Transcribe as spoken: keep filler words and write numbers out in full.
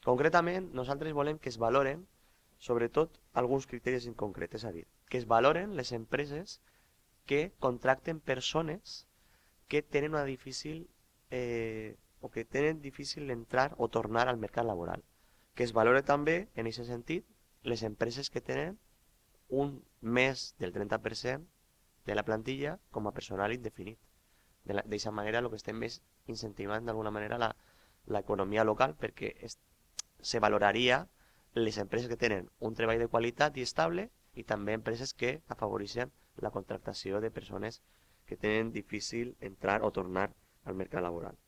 Concretament, nosaltres volem que es valoren, sobretot, alguns criteris en concret, és a dir, que es valoren les empreses que contracten persones que tenen una difícil eh, o que tenen difícil entrar o tornar al mercat laboral. Que es valore també, en aquest sentit, les empreses que tenen un més del trenta per cent de la plantilla com a personal indefinit. D'aquesta manera el que estem és incentivant d'alguna manera la, l'economia local perquè es, se valoraria les empreses que tenen un treball de qualitat i estable i també empreses que afavoreixen la contractació de persones que tenen difícil entrar o tornar al mercat laboral.